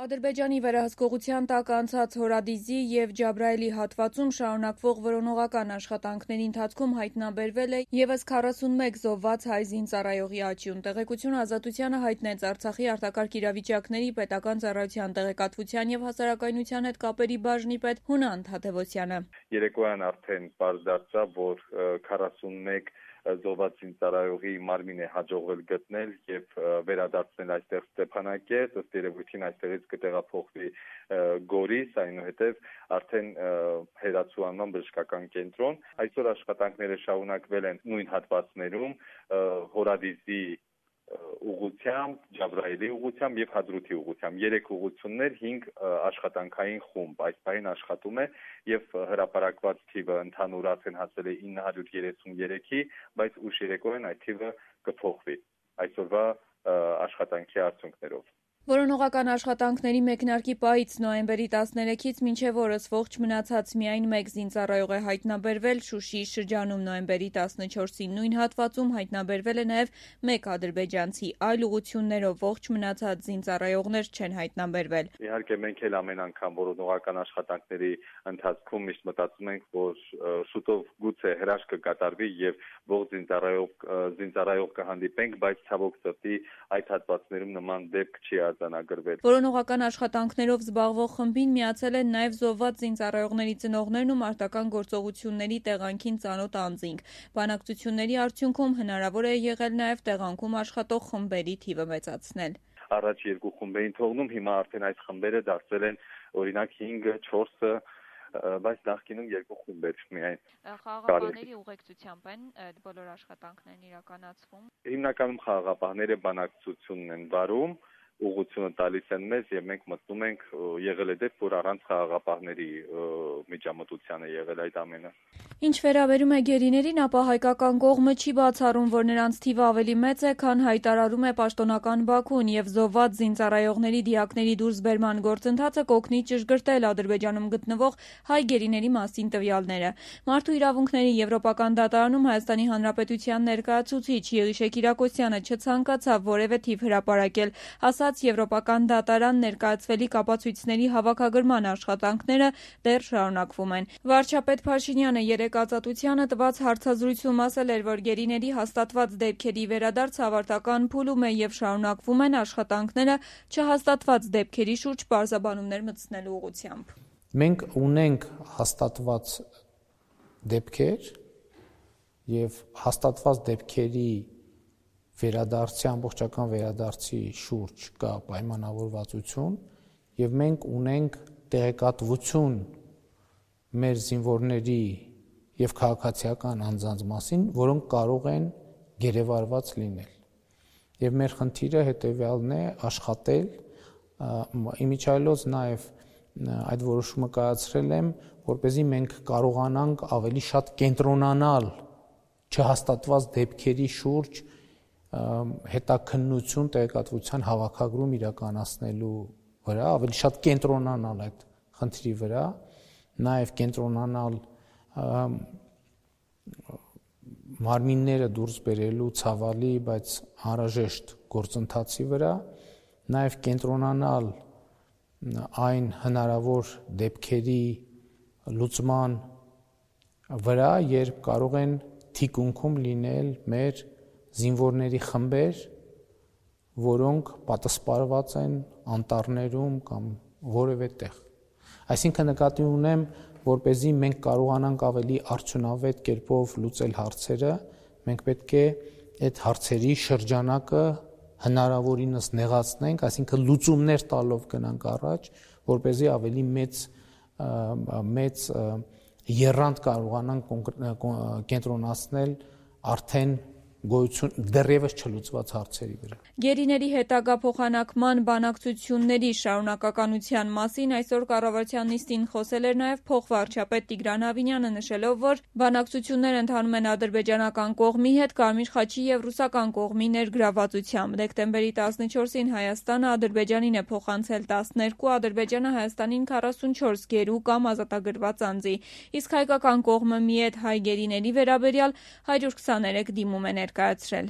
Ադրբեջանի վերահսկողության տակ անցած Հորադիզի և Ջաբրայելի հատվածում շարունակվող որոնողական աշխատանքների ընթացքում հայտնաբերվել է ևս 41 զոհված հայ զինծառայողի աճյուն։ Տեղեկությունը Ազատությանը հայտնեց Արցախի արտակարգ իրավիճակների պետական ծառայության տեղեկատվության և հասարակայնության հետ կապերի բաժնի պետ Հունան Թադևոսյանը։ Երեկոյան արդեն պարզ դարձավ, որ 41 զոհված զինծառայողի մարմին է հաջողվել գտնել և վերադարձնել այստեղ Ստեփանակերտ, ըստ երևույթին այստեղից կտեղափոխվի Գորիս, այնուհետև արդեն Հերացու անվան բժշկական կենտրոն։ Այսօր աշխատանքները շարունակվել են նույն հատվածներում, Հորադիզի ուղղությամբ, Ջաբրայելի ուղղությամբ և Հադրութի ուղղությամբ։ 3 ուղղություններ, 5 աշխատանքային խումբ այս պահին աշխատում է և հրապարակված թիվը ընդհանուր արդեն հասել է 933-ի, բայց ուշ երեկոյան այդ թիվը կփոխվի այսօրվա աշխատանքի արդյունքներով։ Որոնողական աշխատանքների մեկնարկի պահից նոյեմբերի 13-ից մինչև օրս ողջ մնացած միայն 1 զինծառայող է հայտնաբերվել Շուշիի շրջանում, նոյեմբերի 14-ին նույն հատվածում հայտնաբերվել է նաև 1 ադրբեջանցի, այլ ուղղություններով ողջ մնացած զինծառայողներ չեն հայտնաբերվել։ Իհարկե մենք էլ ամեն անգամ որոնողական աշխատանքների ընթացքում միշտ մտածում ենք, որ շուտով գուցե հրաշք կկատարվի և ողջ զինծառայող կհանդիպենք, բայց ցավոք սրտի այդ հատվածներում նման դեպք չի արձանագրվել։ Որոնողական աշխատանքներով զբաղվող խմբին միացել են նաև զոհված զինծառայողների ծնողներն ու մարտական գործողությունների տեղանքին ծանոթ անձինք։ Բանակցությունների արդյունքում հնարավոր է եղել նաև տեղանքում աշխատող խմբերի թիվը մեծացնել։ Առաջ 2 խումբ էին թողնում, հիմա արդեն այս խմբերը դարձել են օրինակ 5-ը, 4-ը, բայց նախկինում 2 խումբեր միայն։ Խաղաղապահների ուղեկցությամբ են այդ բոլոր աշխատանքներն իրականացվում։ Հիմնականում խաղաղապահները բանակցությունն են վարում, ուղղությունը տալիս են մեզ և մենք մտնում ենք, եղել է դեպք, որ առանց խաղաղապահների միջամտության է եղել այդ ամենը։ Ինչ վերաբերում է գերիներին, ապա հայկական կողմը չի բացառում, որ նրանց թիվը ավելի մեծ է, քան հայտարարում է պաշտոնական Բաքուն, և զոհված զինծառայողների դիակների դուրսբերման գործընթացը կօգնի ճշգրտել Ադրբեջանում գտնվող հայ գերիների մասին տվյալները։ Մարդու իրավունքների եվրոպական դատարանում Հայաստանի Հանրապետության ներկայացուցիչ Եղիշե Կիրակոսյանը չցանկացավ որևէ թիվ հրապարակել, ասաց Եվրոպական դատարան ներկայացվելիք ապացույցների հավաքագրման աշխատանքները դեռ շարունակվում են։ Վարչապետ Փաշինյանը երեկ Ազատությանը տված հարցազրույցում ասել էր, որ գերիների հաստատված դեպքերի վերադարձ ավարտական փուլում է և շարունակվում են աշխատանքները չհաստատված դեպքերի շուրջ պարզաբանումներ մտցնելու ուղղությամբ։ Մենք ունենք հաստատված դեպքեր և հաստատված դեպքերի վերադարձի, ամբողջական վերադարձի շուրջ կա պայմանավորվածություն և մենք ունենք տեղեկատվություն մեր զինվորների և քաղաքացիական անձանց մասին, որոնք կարող են գերեվարված լինել։ Եվ մեր խնդիրը հետևյալն է՝ աշխատել, իմիջիայլոց նաև այդ որոշումը կայացրել եմ, որպեսզի մենք կարողանանք ավելի շատ կենտրոնանալ չհաստատված դեպքերի շուրջ հետաքննություն, տեղեկատվության հավաքագրում իրականացնելու վրա, ավելի շատ կենտրոնանալ այդ խնդրի վրա, նաև կենտրոնանալ մարմինները դուրս բերելու ցավալի, բայց անհրաժեշտ գործընթացի վրա, նաև կենտրոնանալ այն հնարավոր դեպքերի լուծման վրա, երբ կարող են թիկունքում լինել մեր զինվորների խմբեր, որոնք պատսպարված են անտառներում կամ որևէ տեղ։ Այսինքն նկատի ունեմ, որպեսզի մենք կարողանանք ավելի արդյունավետ կերպով լուծել հարցերը, մենք պետք է այդ հարցերի շրջանակը հնարավորինս նեղացնենք, այսինքն լուծումներ տալով գնանք առաջ, որպեսզի ավելի մեծ եռանդ կարողանանք կենտրոնացնել արդեն դեռևս չլուծված հարցերի վրա։ Գերիների հետագա փոխանակման բանակցությունների շարունակականության մասին այսօր կառավարության նիստին խոսել էր նաև փոխվարչապետ Տիգրան Ավինյանը, նշելով, որ բանակցություններ ընթանում են ադրբեջանական կողմի հետ Կարմիր խաչի և ռուսական կողմի ներգրավվածությամբ։ Դեկտեմբերի 14-ին Հայաստանը Ադրբեջանին է փոխանցել 12, Ադրբեջանը Հայաստանին 44 գերու կամ ազատագրված անձի, իսկ հայկական կողմը մի էդ հայ գերիների վերաբերյալ 123 դիմում է ներկայացրել։